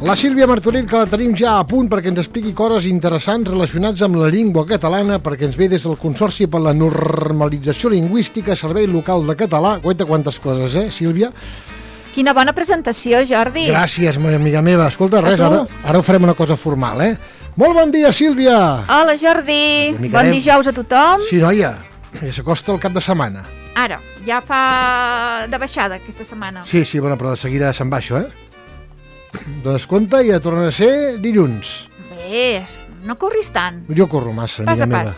La Sílvia Martorell, que la tenim ja a punt perquè ens expliqui coses interessants relacionats amb la llengua catalana, perquè ens ve des del Consorci per la Normalització Lingüística, Servei Local de Català. Guaita quantes coses, Sílvia? Quina bona presentació, Jordi. Gràcies, amiga meva. Escolta, res, ara ho farem una cosa formal, Molt bon dia, Sílvia! Hola, Jordi. Bon dijous a tothom. Sí, noia, ja s'acosta el cap de setmana. Ara, ja fa de baixada aquesta setmana. Sí, bueno, però de seguida se'n va això, Dones compte i ja torna a ser dilluns. Bé, no corris tant. Jo corro massa, amiga meva.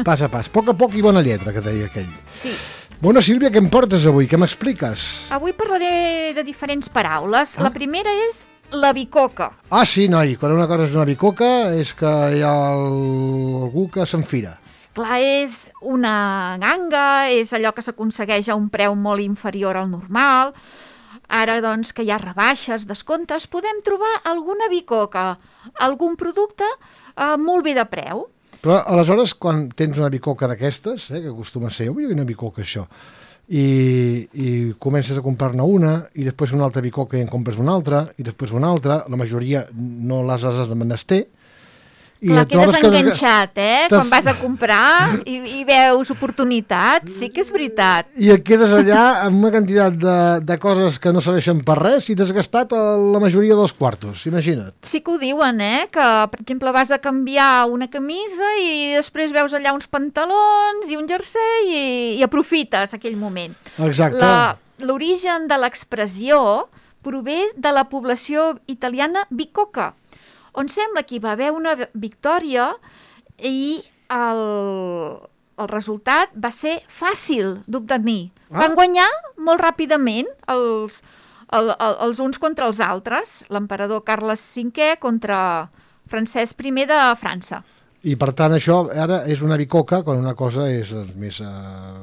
Pas a pas. Poc a poc i bona lletra, que deia aquell. Sí. Bona, Sílvia, què em portes avui? Què m'expliques? Avui parlaré de diferents paraules. La primera és la bicoca. Ah, sí, noi, quan una cosa és una bicoca és que hi ha algú que s'enfira. Clar, és una ganga, és allò que s'aconsegueix a un preu molt inferior al normal. Ara, doncs, que hi ha rebaixes, descomptes, podem trobar alguna bicoca, algun producte molt bé de preu. Però, aleshores, quan tens una bicoca d'aquestes, que acostuma a ser, vull una bicoca, això, i comences a comprar-ne una, i després una altra bicoca i en compres una altra, i després una altra, la majoria no les has de menester. Clar, quedes enganxat, quan vas a comprar i veus oportunitats, sí que és veritat. I et quedes allà amb una quantitat de coses que no serveixen per res i t'has gastat la majoria dels quartos, imagina't. Sí que ho diuen, que, per exemple, vas a canviar una camisa i després veus allà uns pantalons i un jersei i aprofites aquell moment. Exacte. L'origen de l'expressió prové de la població italiana bicoca, on sembla que hi va haver una victòria i el resultat va ser fàcil d'obtenir. Van guanyar molt ràpidament els uns contra els altres, l'emperador Carles V contra Francesc I de França. I per tant això ara és una bicoca quan una cosa és més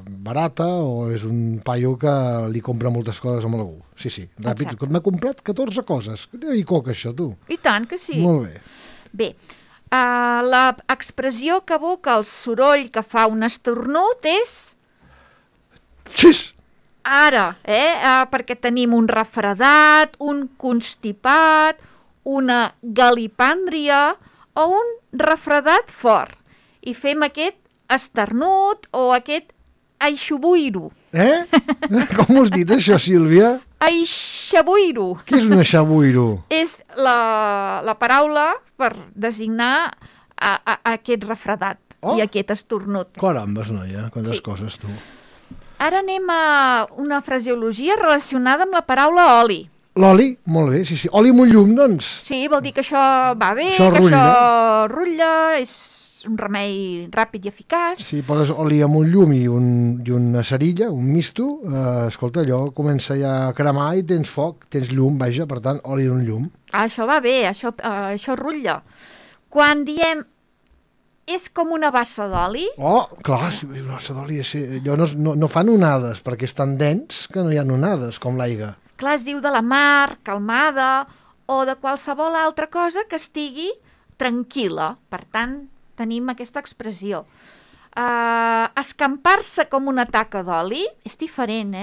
barata o és un paio que li compra moltes coses a algú. Sí, ràpid. M'ha comprat 14 coses. Quina bicoca això, tu? I tant que sí. Molt bé. Bé, l'expressió que evoca el soroll que fa un esternut és... Xis! Ara, perquè tenim un refredat, un constipat, una galipàndria o un refredat fort. I fem aquest esternut o aquest aixabuiro. Com ho has dit, això, Sílvia? Aixabuiro. Què és un aixabuiro? És la paraula per designar aquest refredat i aquest esternut. Carambes, noia, quantes coses, tu. Ara anem a una fraseologia relacionada amb la paraula oli. L'oli? Molt bé, sí. Oli amb un llum, doncs. Sí, vol dir que això va bé, això rutlla, és un remei ràpid i eficaç. Si poses oli amb un llum i una cerilla, un misto, escolta, allò comença ja a cremar i tens foc, tens llum, vaja, per tant, oli en un llum. Això va bé, això rutlla. Quan diem és com una bassa d'oli... Oh, clar, una bassa d'oli, allò no fan onades, perquè és tan dens que no hi ha onades, com l'aigua. Clar, es diu de la mar, calmada, o de qualsevol altra cosa que estigui tranquil·la. Per tant, tenim aquesta expressió. Escampar-se com una taca d'oli és diferent,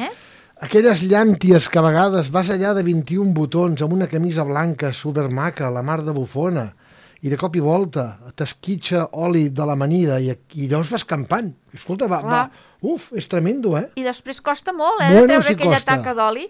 Aquelles llànties que a vegades vas allà de 21 botons amb una camisa blanca supermaca, la mar de bufona, i de cop i volta t'esquitxa oli de l'amanida i allò es va escampant. Escolta, és tremendo, I després costa molt, de treure aquella taca d'oli.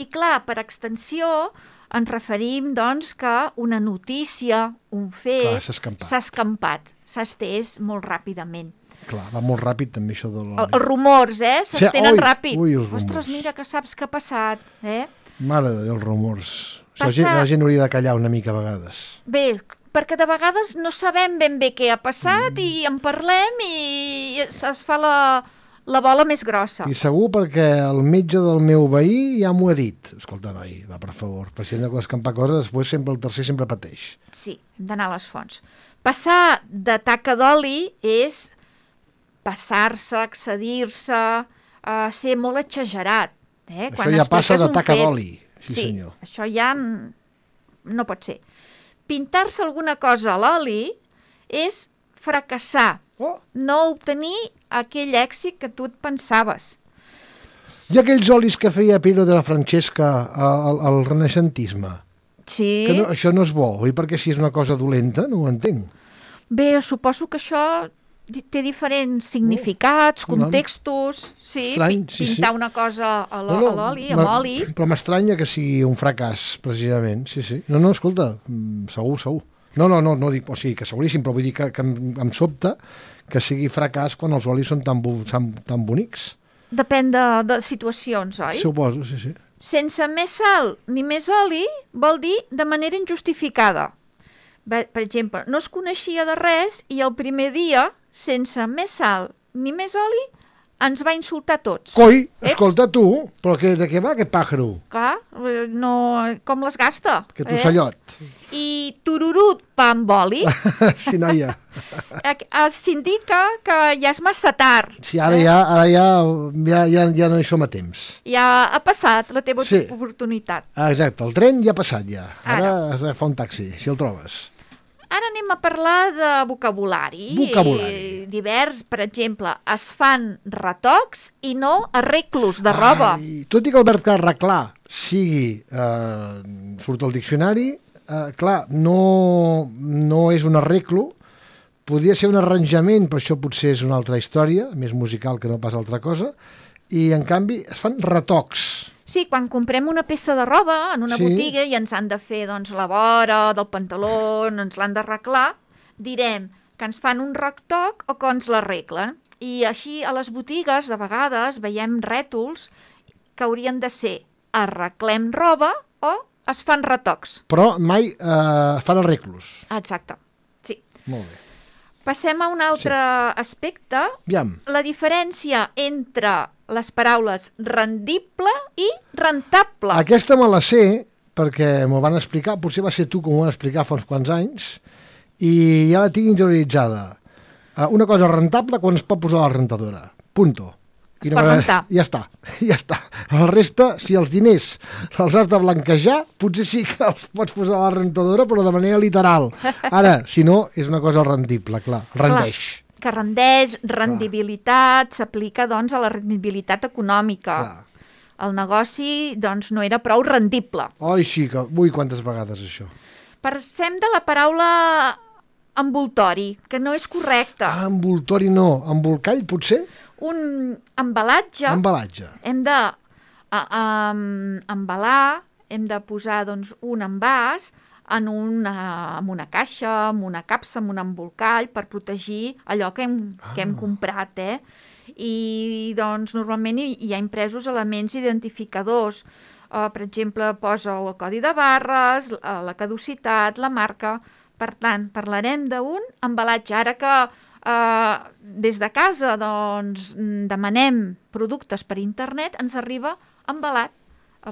I clar, per extensió ens referim, doncs, que una notícia, un fet, s'ha escampat, s'ha estès molt ràpidament. Clar, va molt ràpid també això de l'oli. Els rumors, s'estenen ràpid. Ostres, mira que saps què ha passat, Mare de Déu, els rumors. La gent hauria de callar una mica a vegades. Bé, perquè de vegades no sabem ben bé què ha passat i en parlem i es fa la bola més grossa. I segur perquè el metge del meu veí ja m'ho ha dit. Escolta, noi, va, per favor, per si hem d'escampar coses, després el tercer sempre pateix. Sí, hem d'anar a les fonts. Passar de taca d'oli és passar-se, excedir-se, ser molt exagerat. Això ja passa de taca d'oli. Sí, senyor. Això ja no pot ser. Pintar-se alguna cosa a l'oli és fracassar, no obtenir aquell èxit que tu et pensaves. I aquells olis que feia Piero de la Francesca al renaixentisme, Sí. Que no, això no és bo, oi? Perquè si és una cosa dolenta, no ho entenc. Bé, suposo que això té diferents significats, contextos, sí, Estrany, sí, pintar sí. una cosa a l'oli, amb oli. Però m'estranya que sigui un fracàs, precisament, sí, sí. No, escolta, segur. No dic, o sigui, que seguríssim, però vull dir que em sobta que sigui fracàs quan els olis són tan bonics. Depèn de situacions, oi? Suposo, sí. Sense més sal ni més oli vol dir de manera injustificada. Per exemple, no es coneixia de res i el primer dia, sense més sal ni més oli, ens va insultar tots. Coi, escolta tu, però de què va aquest pàjaro? Clar, no, com les gasta. Aquest ocellot. I tururut pa amb oli Sí, noia. s'indica que ja és massa tard. Sí, ara ja no hi som a temps. Ja ha passat la teva oportunitat. Exacte, el tren ja ha passat ja. Ara has d'agafar un taxi, si el trobes. Ara anem a parlar de vocabulari. Divers, per exemple, es fan retocs i no arreglos de roba. Tot i que el verb arreglar sigui, surt al diccionari, clar, no és un arreglo, podria ser un arranjament, però això potser és una altra història, més musical que no pas altra cosa, i en canvi es fan retocs. Sí, quan comprem una peça de roba en una botiga i ens han de fer la vora del pantaló, ens l'han d'arreglar, direm que ens fan un retoc o que ens l'arreglen. I així a les botigues de vegades veiem rètols que haurien de ser arreglem roba o es fan retocs. Però mai fan arreglos. Exacte, sí. Molt bé. Passem a un altre aspecte. Aviam. La diferència entre les paraules rendible i rentable. Aquesta me la sé perquè m'ho van explicar, potser va ser tu que m'ho van explicar fa uns quants anys, i ja la tinc interioritzada. Una cosa rentable quan es pot posar a la rentadora. Punto. Es pot rentar. Ja està. La resta, si els diners els has de blanquejar, potser sí que els pots posar a la rentadora, però de manera literal. Ara, si no, és una cosa rendible, clar. Rendeix. Clar, que rendeix, rendibilitat, s'aplica, a la rendibilitat econòmica. Clar. El negoci, no era prou rendible. Oi, sí, que... Ui, quantes vegades això. Passem de la paraula envoltori, que no és correcta. Envoltori no. Embolcall, potser? Un embalatge. Embalatge. Hem de embalar, hem de posar un envàs en una caixa, en una capsa, en un embolcall, per protegir allò que hem comprat, I, normalment hi ha impresos elements identificadors. Per exemple, posa el codi de barres, la caducitat, la marca. Per tant, parlarem d'un embalatge. Ara que des de casa demanem productes per internet, ens arriba embalat,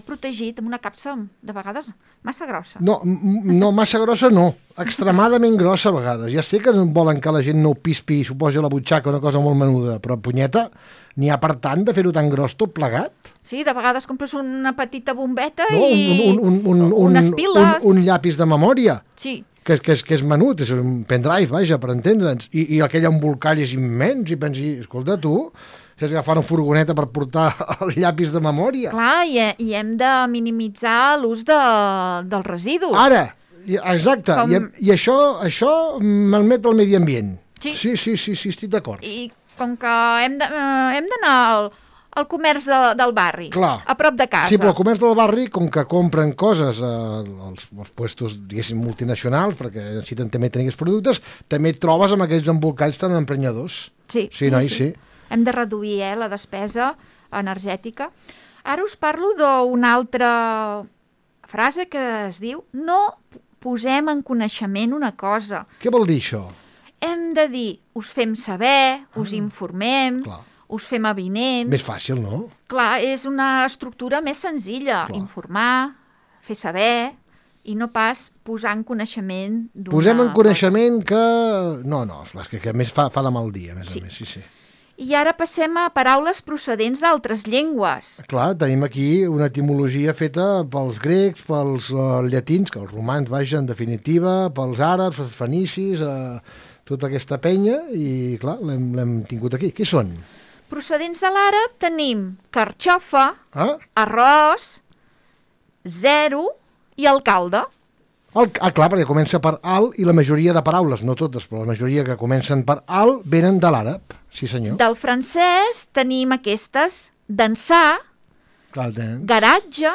protegit, amb una capsa de vegades massa grossa. No, massa grossa no. Extremadament grossa a vegades. Ja sé que no volen que la gent no ho pispi i s'ho posi a la butxaca, una cosa molt menuda, però punyeta, n'hi ha per tant de fer-ho tan gros tot plegat? Sí, de vegades compres una petita bombeta i unes piles. Un llapis de memòria. Sí. Que és menut, és un pendrive, vaja, per entendre'ns. I aquell embolcall és immens i pensi, escolta, tu, si has d'agafar una furgoneta per portar el llapis de memòria. Clar, i hem de minimitzar l'ús dels residus. Ara, exacte, i això malmet el medi ambient. Sí, estic d'acord. I com que hem d'anar al comerç del barri, clar, a prop de casa. Sí, però el comerç del barri, com que compren coses als puestos, diguéssim, multinacionals, perquè necessiten també tenir aquests productes, també et trobes amb aquells embolcalls tan emprenyadors. Sí. Sí. Hem de reduir la despesa energètica. Ara us parlo d'una altra frase que es diu no posem en coneixement una cosa. Què vol dir això? Hem de dir, us fem saber, us informem, clar, us fem avinent. Més fàcil, no? Clar, és una estructura més senzilla. Clar. Informar, fer saber, i no pas posar en coneixement d'una... Posem en coneixement que... No, és que a més fa de mal dia, a més a més, sí. I ara passem a paraules procedents d'altres llengües. Clar, tenim aquí una etimologia feta pels grecs, pels llatins, que els romans, vaja, en definitiva, pels àrabs, els fenicis, tota aquesta penya, i clar, l'hem tingut aquí. Qui són? Procedents de l'àrab tenim carxofa, Ah? arròs, zero i alcalde. Clar, perquè comença per al i la majoria de paraules, no totes, però la majoria que comencen per al venen de l'àrab, sí senyor. Del francès tenim aquestes: dansar, Clar, garatge,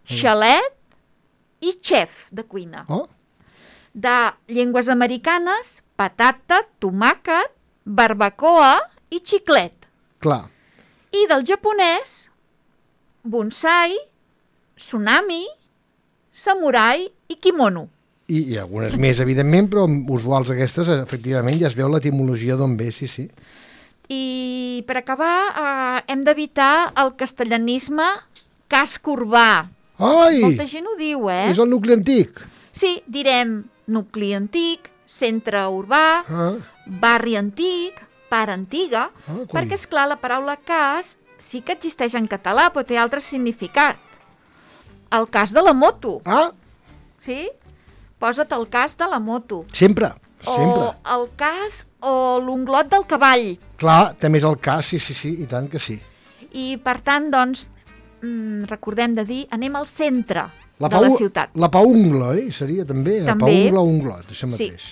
xalet i xef de cuina. Oh, De llengües americanes, patata, tomàquet, barbacoa i xiclet. clar. I del japonès, bonsai, tsunami, samurai i kimono. I algunes més, evidentment, però usuals aquestes, efectivament, ja es veu l'etimologia d'on ve, sí. I per acabar, hem d'evitar el castellanisme casc urbà. Ai! Molta gent ho diu, És el nucli antic. Sí, direm nucli antic, centre urbà, barri antic, part antiga, perquè, esclar, la paraula cas sí que existeix en català, però té altre significat. El cas de la moto. Ah, Sí? Posa't el cas de la moto. sempre. O el cas o l'unglot del cavall. Clar, també és el cas, sí, i tant que sí. I, per tant, doncs, recordem de dir, anem al centre de la ciutat. La paungla, Seria també. També. Paungla o unglot, això mateix.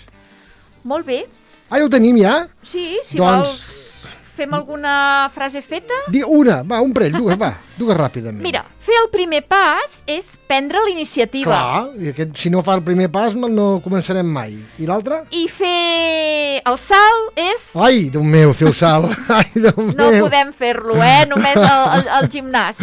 Molt bé. Ah, ja ho tenim, ja? Sí, si Doncs- vols, fem alguna frase feta. Una, va, un parell, dues ràpidament. Mira, fer el primer pas és prendre la iniciativa. Clar, i si no fa el primer pas no començarem mai. I l'altre? I fer el salt és... Ai, Déu meu, fer el salt. Ai, Déu No meu. podem fer-lo, només al gimnàs.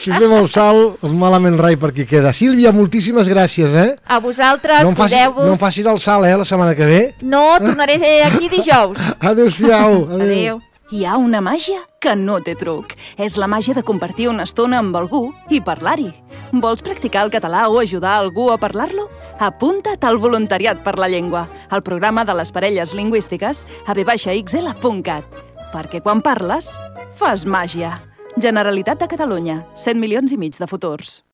Si fem el salt, malament rai per qui queda. Sílvia, moltíssimes gràcies, A vosaltres, cuideu-vos. No em facis el salt, la setmana que ve. No, tornaré aquí dijous. Adéu-siau. Adéu. Hi ha una màgia que no té truc. És la màgia de compartir una estona amb algú i parlar-hi. Vols practicar el català o ajudar algú a parlar-lo? Apunta't al Voluntariat per la Llengua, al programa de les parelles lingüístiques a v-xl.cat. Perquè quan parles, fas màgia. Generalitat de Catalunya, 7,5 milions de futurs.